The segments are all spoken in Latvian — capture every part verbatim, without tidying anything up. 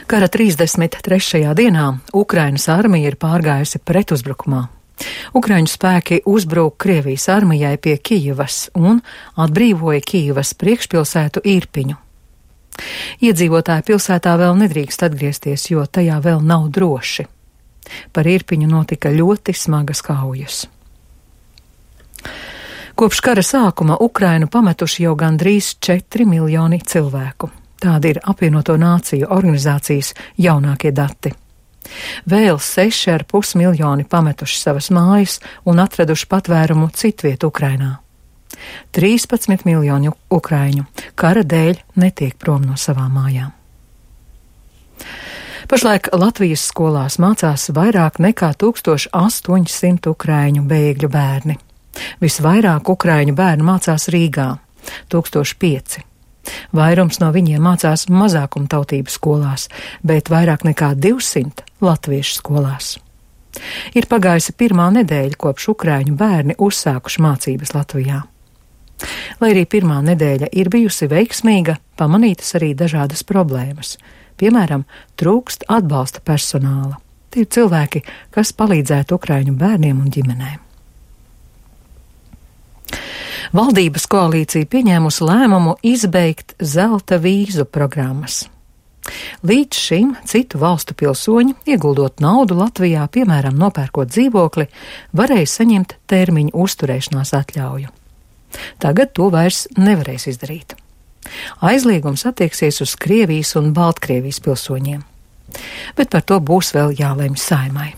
Kara trīsdesmit trešajā dienā Ukrainas armija ir pārgājusi pretuzbrukumā. Ukraiņu spēki uzbruka Krievijas armijai pie Kijivas un atbrīvoja Kijivas priekšpilsētu Irpiņu. Iedzīvotāji pilsētā vēl nedrīkst atgriezties, jo tajā vēl nav droši. Par Irpiņu notika ļoti smagas kaujas. Kopš kara sākuma Ukrainu pametuši jau gandrīz četri miljoni cilvēku. Tādi ir apvienoto nāciju organizācijas jaunākie dati. Vēl seši ar pus miljoni pametuši savas mājas un atraduši patvērumu citviet Ukrainā. trīspadsmit miljoni ukraiņu kara dēļ netiek prom no savām mājām. Pašlaik Latvijas skolās mācās vairāk nekā tūkstoš astoņi simti ukraiņu bēgļu bērni. Visvairāk ukraiņu bērnu mācās Rīgā – tūkstoš pieci. Vairums no viņiem mācās mazākumtautību skolās, bet vairāk nekā divsimt latviešu skolās. Ir pagājusi pirmā nedēļa, kopš ukraiņu bērni uzsākuši mācības Latvijā. Lai arī pirmā nedēļa ir bijusi veiksmīga, pamanītas arī dažādas problēmas. Piemēram, trūkst atbalsta personāla. Tie ir cilvēki, kas palīdzētu ukraiņu bērniem un ģimenēm. Valdības koalīcija pieņēmusi lēmumu izbeigt zelta vīzu programmas. Līdz šim citu valstu pilsoņi, ieguldot naudu Latvijā, piemēram, nopērkot dzīvokli, varēja saņemt termiņu uzturēšanās atļauju. Tagad to vairs nevarēs izdarīt. Aizliegums attieksies uz Krievijas un Baltkrievijas pilsoņiem. Bet par to būs vēl jālemj Saeimai.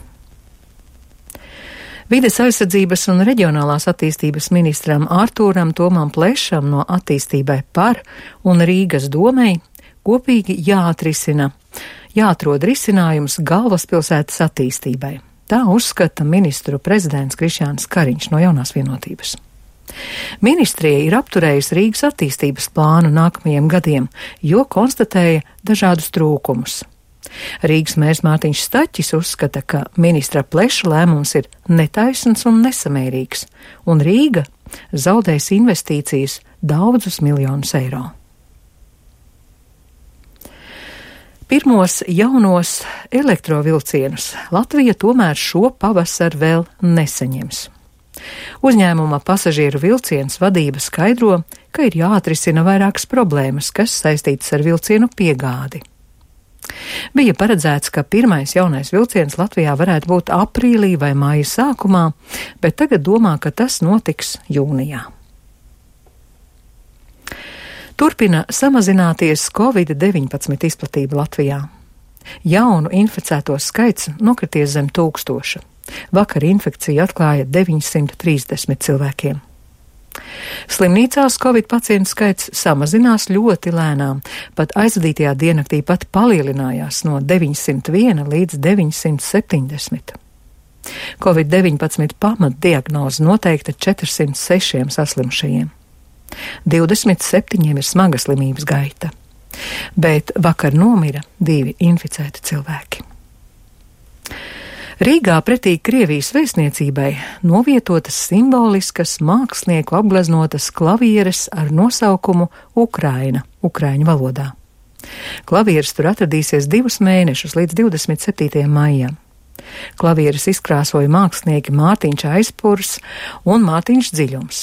Vides aizsardzības un reģionālās attīstības ministram Artūram Tomam Plešam no Attīstībai par un Rīgas domei kopīgi jāatrisina, jāatrod risinājums galvaspilsētas attīstībai. Tā uzskata ministru prezidents Krišjāns Kariņš no Jaunās vienotības. Ministrija ir apturējusi Rīgas attīstības plānu nākamajiem gadiem, jo konstatēja dažādus trūkumus. Rīgas mērs Mārtiņš Staķis uzskata, ka ministra Pleša lēmums ir netaisns un nesamērīgs, un Rīga zaudēs investīcijas daudzus miljonus eiro. Pirmos jaunos elektrovilcienus Latvija tomēr šo pavasaru vēl nesaņems. Uzņēmuma pasažieru vilciens vadība skaidro, ka ir jāatrisina vairākas problēmas, kas saistītas ar vilcienu piegādi. Bija paredzēts, ka pirmais jaunais vilciens Latvijā varētu būt aprīlī vai māja sākumā, bet tagad domā, ka tas notiks jūnijā. Turpina samazināties covid deviņpadsmit izplatība Latvijā. Jaunu inficēto skaits nokrities zem tūkstoša. Vakar infekciju atklāja deviņsimt trīsdesmit cilvēkiem. Slimnīcās covid pacientu skaits samazinās ļoti lēnām, pat aizvadītajā diennaktī pat palielinājās no deviņsimt viena līdz deviņsimt septiņdesmit. covid deviņpadsmit pamatdiagnoze noteikta četrsimt sešiem saslimšajiem. divdesmit septiņiem ir smaga slimības gaita, bet vakar nomira divi inficēti cilvēki. Rīgā pretī Krievijas vēstniecībai novietotas simboliskas mākslinieku apgleznotas klavieres ar nosaukumu Ukraina, ukraiņu valodā. Klavieres tur atradīsies divus mēnešus līdz divdesmit septītajam maijam. Klavieres izkrāsoja mākslinieki Mārtiņš Aizpurs un Mārtiņš Dziļums.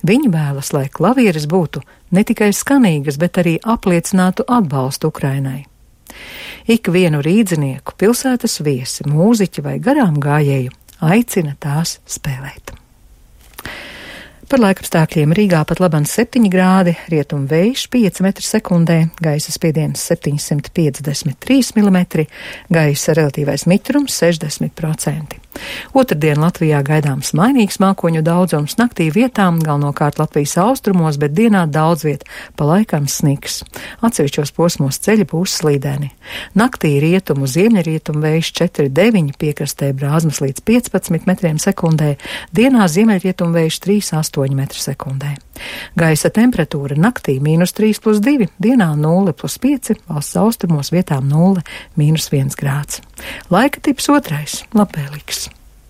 Viņi vēlas, lai klavieres būtu ne tikai skanīgas, bet arī apliecinātu atbalstu Ukrainai. Ik vienu rīdzinieku, pilsētas viesi, mūziķi vai garām gājēju aicina tās spēlēt. Par laikapstākļiem Rīgā pat laban septiņi grādi, rietumu vējš pieci metri sekundē, gaisa spiediens septiņsimt piecdesmit trīs milimetri, gaisa relatīvais mitrums sešdesmit procenti. Otrdien Latvijā gaidāms mainīgs mākoņu daudzums, naktī vietām galvenokārt Latvijas austrumos, bet dienā daudz viet, pa laikam sniks. Atsevišķos posmos ceļi būs slīdeni. Naktī rietumu ziemeļrietumu vējš četri deviņi, piekrastē brāzmas līdz piecpadsmit metriem sekundē, dienā ziemeļrietumu vējš trīs astoņi metri sekundē. Gaisa temperatūra naktī mīnus trīs plus divi, dienā nulle plus pieci, valsts austrumos vietām nulle, mīnus viens grāds. Laika tips otrais, labvēlīgs.